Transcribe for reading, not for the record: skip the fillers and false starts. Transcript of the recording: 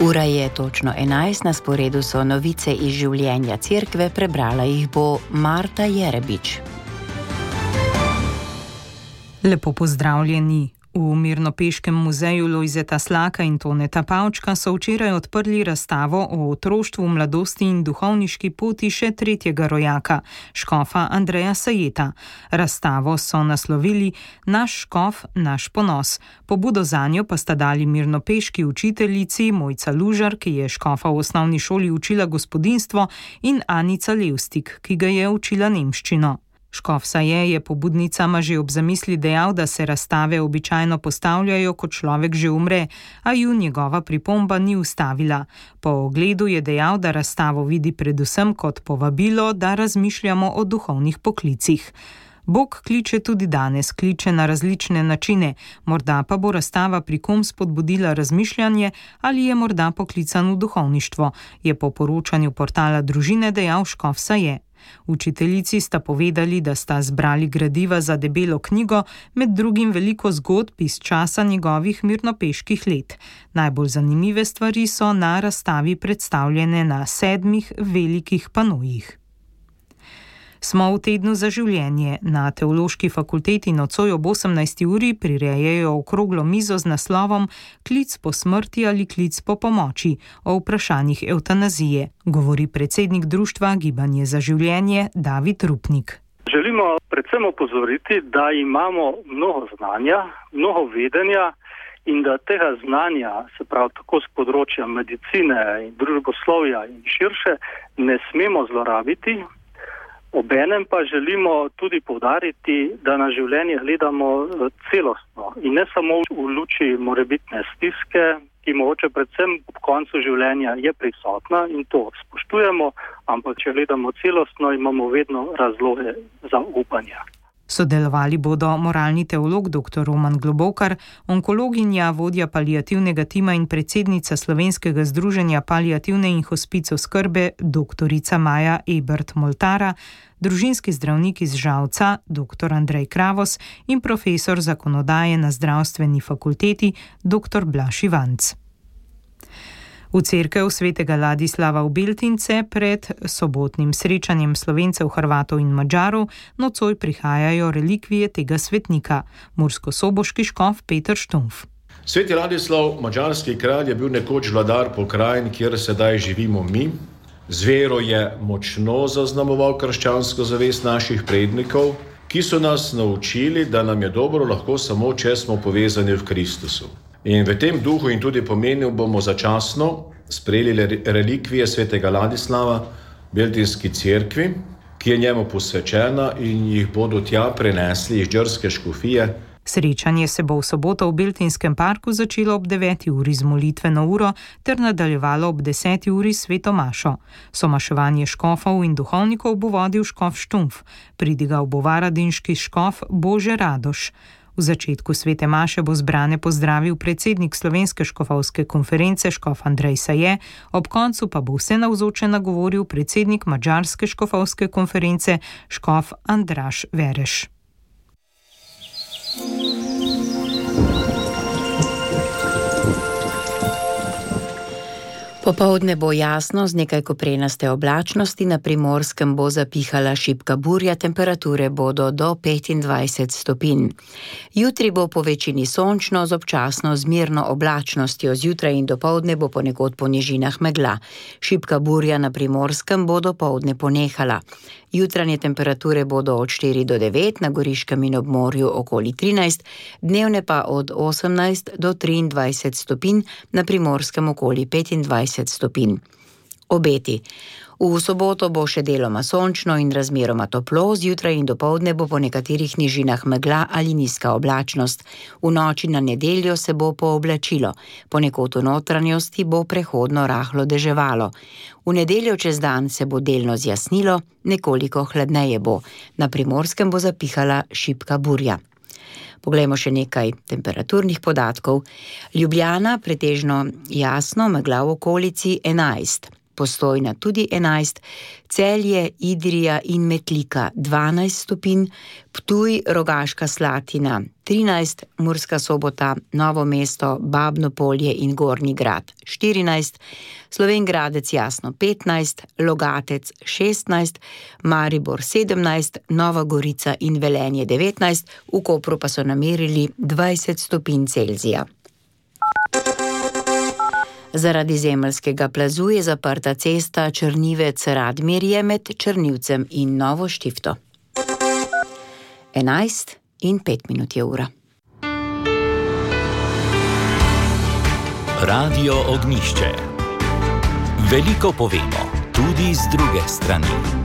Ura je točno 11, na sporedu so novice iz življenja cerkve, prebrala jih bo Marta Jerebič. Lepo pozdravljeni. V Mirnopeškem muzeju Lojzeta Slaka in Toneta Pavčka so včeraj odprli razstavo o otroštvu, mladosti in duhovniški poti še tretjega rojaka, škofa Andreja Sajeta. Razstavo so naslovili Naš škof, naš ponos. Pobudo zanjo pa sta dali mirnopeški učiteljici Mojca Lužar, ki je škofa v osnovni šoli učila gospodinjstvo, in Anica Levstik, ki ga je učila nemščino. Škof Saje je pobudnicama že ob zamisli dejal, da se razstave običajno postavljajo, ko človek že umre, a ju njegova pripomba ni ustavila. Po ogledu je dejal, da razstavo vidi predvsem kot povabilo, da razmišljamo o duhovnih poklicih. Bog kliče tudi danes, kliče na različne načine, morda pa bo razstava pri kom spodbudila razmišljanje ali je morda poklican v duhovništvo, je po poročanju portala Družine dejal škof Saje. Učiteljici sta povedali, da sta zbrali gradiva za debelo knjigo, med drugim veliko zgodb iz časa njegovih mirnopeških let. Najbolj zanimive stvari so na razstavi predstavljene na 7 velikih panojih. Smo v tednu za življenje. Na Teološki fakulteti nocoj ob 18. uri prirejajo okroglo mizo z naslovom Klic po smrti ali klic po pomoči o vprašanjih evtanazije, govori predsednik društva Gibanje za življenje David Rupnik. Želimo predvsem opozoriti, da imamo mnogo znanja, mnogo vedenja in da tega znanja, se pravi tako z področja medicine in družboslovja in širše, ne smemo zlorabiti. Obenem pa želimo tudi poudariti, da na življenje gledamo celostno in ne samo v luči morebitne stiske, ki mogoče predvsem ob koncu življenja je prisotna in to spoštujemo, ampak če gledamo celostno, imamo vedno razloge za upanje. Sodelovali bodo moralni teolog dr. Roman Globokar, onkologinja, vodja paliativnega tima in predsednica Slovenskega združenja paliativne in hospic oskrbe dr. Maja Ebert-Moltara, družinski zdravnik iz Žalca dr. Andrej Kravos in profesor zakonodaje na zdravstveni fakulteti dr. Blaž Ivanc. V cerkev svetega Ladislava v Beltince pred sobotnim srečanjem Slovencev, Hrvatov in Madžarov nocoj prihajajo relikvije tega svetnika, murskosoboški škof Peter Štumf. Sveti Ladislav, madžarski kralj, je bil nekoč vladar pokrajin, kjer sedaj živimo mi. Z vero je močno zaznamoval krščansko zavest naših prednikov, ki so nas naučili, da nam je dobro lahko samo, če smo povezani v Kristusu. In v tem duhu in tudi pomenu bomo začasno sprejeli relikvije svetega Ladislava v Beltinski cerkvi, ki je njemu posvečena, in jih bodo tja prenesli iz džrske škofije. Srečanje se bo v soboto v Beltinskem parku začelo ob 9. uri z molitveno uro ter nadaljevalo ob 10. uri s sveto mašo. Somaševanje škofov in duhovnikov bo vodil škof Štumf, pridigal bo varadinški škof Bože Radoš. V začetku svete maše bo zbrane pozdravil predsednik Slovenske škofovske konference škof Andrej Saje, ob koncu pa bo vse navzoče nagovoril predsednik Madžarske škofovske konference škof Andraž Vereš. Popoldne bo jasno z nekaj koprenaste oblačnosti, na Primorskem bo zapihala šibka burja, temperature bodo do 25 stopinj. Jutri bo po večini sončno z občasno zmerno oblačnostjo, zjutraj in dopoldne bo ponekod po nižinah megla. Šibka burja na Primorskem bo dopoldne ponehala. Jutranje temperature bodo od 4 do 9, na Goriškem in ob morju okoli 13, dnevne pa od 18 do 23 stopinj, na Primorskem okoli 25 stopinj. Obeti. V soboto bo še deloma sončno in razmeroma toplo, zjutraj in dopoldne bo po nekaterih nižinah megla ali nizka oblačnost. V noči na nedeljo se bo pooblačilo, ponekod v notranjosti bo prehodno rahlo deževalo. V nedeljo čez dan se bo delno zjasnilo, nekoliko hladneje bo. Na Primorskem bo zapihala šibka burja. Poglejmo še nekaj temperaturnih podatkov. Ljubljana pretežno jasno, megla v okolici 11. Postojna tudi 11, Celje, Idrija in Metlika 12 stopinj, Ptuj, Rogaška Slatina 13, Murska Sobota, Novo mesto, Babno Polje in Gornji Grad 14, Slovenj Gradec Jasno 15, Logatec 16, Maribor 17, Nova Gorica in Velenje 19, v Kopru pa so namerili 20 stopinj Celzija. Zaradi zemeljskega plazu je zaprta cesta Črnivec-Radmirje med Črnivcem in Novo Štifto. 11:05 je ura. Radio Ognjišče. Veliko povemo, tudi z druge strani.